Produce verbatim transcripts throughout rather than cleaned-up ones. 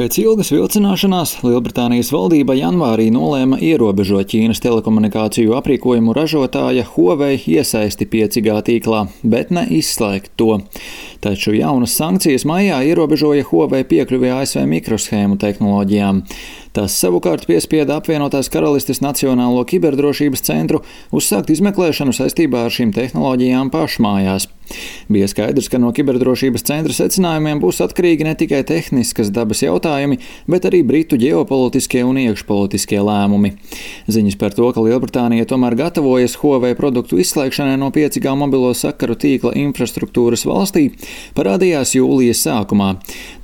Pēc ilgas vilcināšanās Lielbritānijas valdība janvārī nolēma ierobežot Ķīnas telekomunikāciju aprīkojumu ražotāja Huawei iesaisti pieci G tīklā, bet ne izslēgt to. Taču jaunas sankcijas maijā ierobežoja Huawei piekļuvi A S V mikroshēmu tehnoloģijām. Tas savukārt piespieda apvienotās Karalistes Nacionālo kiberdrošības centru uzsākt izmeklēšanu saistībā ar šīm tehnoloģijām pašmājās. Bija skaidrs, ka no kiberdrošības centra secinājumiem būs atkarīgi ne tikai tehniskas dabas jautājumi, bet arī britu ģeopolitiskie un iekšpolitiskie lēmumi. Ziņas par to, ka Lielbritānija tomēr gatavojas Huawei produktu izslēgšanai no pieci G mobilo sakaru tīkla infrastruktūras valstī, parādījās jūlijas sākumā.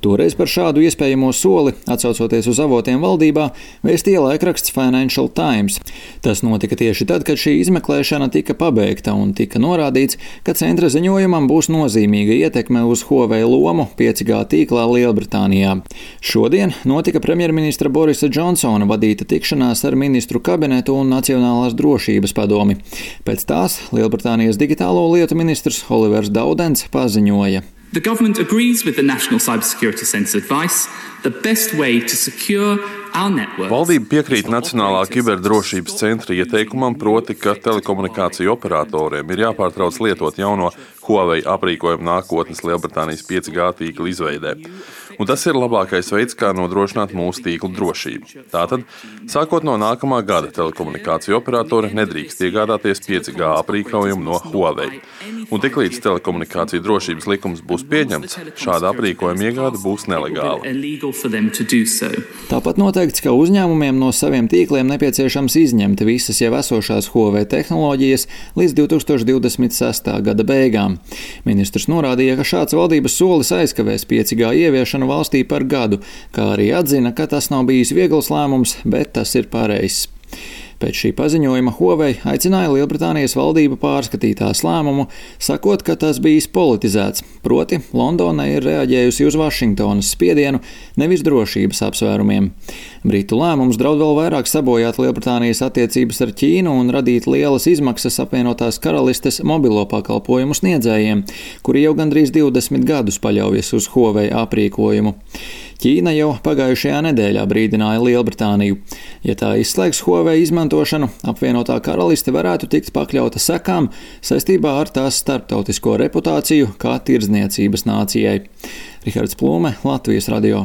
Toreiz par šādu iespējamo soli, atsaucoties uz avotiem valdībā, vēstīja laikraksts Financial Times. Tas notika tieši tad, kad šī izmeklēšana tika pabeigta un tika norādīts, ka centra ziņojumam būs nozīmīga ietekme uz Huawei lomu pieci G tīklā Lielbritānijā. Šodien notika premjerministra Borisa Džonsona vadīta tikšanās ar ministru kabinetu un Nacionālās drošības padomi. Pēc tās Lielbritānijas digitālo lietu ministrs Olivers Daudens paziņoja. The government agrees with the National Cybersecurity Centre's advice. The best way to secure our networks. Valdība piekrīt Nacionālā kiberdrošības centra ieteikumam, proti, ka telekomunikāciju operatoriem ir jāpārtrauc lietot jauno Huawei aprīkojumu nākotnes Lielbritānijas pieci G tīkla izveidē. Un tas ir labākais veids, kā nodrošināt mūsu tīklu drošību. Tātad, sākot no nākamā gada, telekomunikāciju operatori nedrīkst iegādāties pieci G aprīkojumu no Huawei. Un tiklīdz telekomunikāciju drošības likums būs pieņemts, šāda aprīkojuma iegāde būs nelegāla. Tāpat noteikts, ka uzņēmumiem no saviem tīkliem nepieciešams izņemt visas jau esošās Huawei tehnoloģijas līdz divi tūkstoši divdesmit sestā gada beigām. Ministrs norādīja, ka šāds valdības solis aizkavēs pieci G ieviešanu valstī par gadu, kā arī atzina, ka tas nav bijis viegls lēmums, bet tas ir pareizs. Pēc šī paziņojuma Huawei aicināja Lielbritānijas valdību pārskatīt tās lēmumu, sakot, ka tas bijis politizēts, proti Londona ir reaģējusi uz Vašingtonas spiedienu, nevis drošības apsvērumiem. Britu lēmums draud vēl vairāk sabojāt Lielbritānijas attiecības ar Ķīnu un radīt lielas izmaksas apvienotās Karalistes mobilo pakalpojumu sniedzējiem, kuri jau gandrīz divdesmit gadus paļaujas uz Huawei aprīkojumu. Ķīna jau pagājušajā nedēļā brīdināja Lielbritāniju. Ja tā izslēgs Huawei izmantošanu, apvienotā Karaliste varētu tikt pakļauta sekām saistībā ar tās starptautisko reputāciju kā tirdzniecības nācijai. Rihards Plūme, Latvijas radio.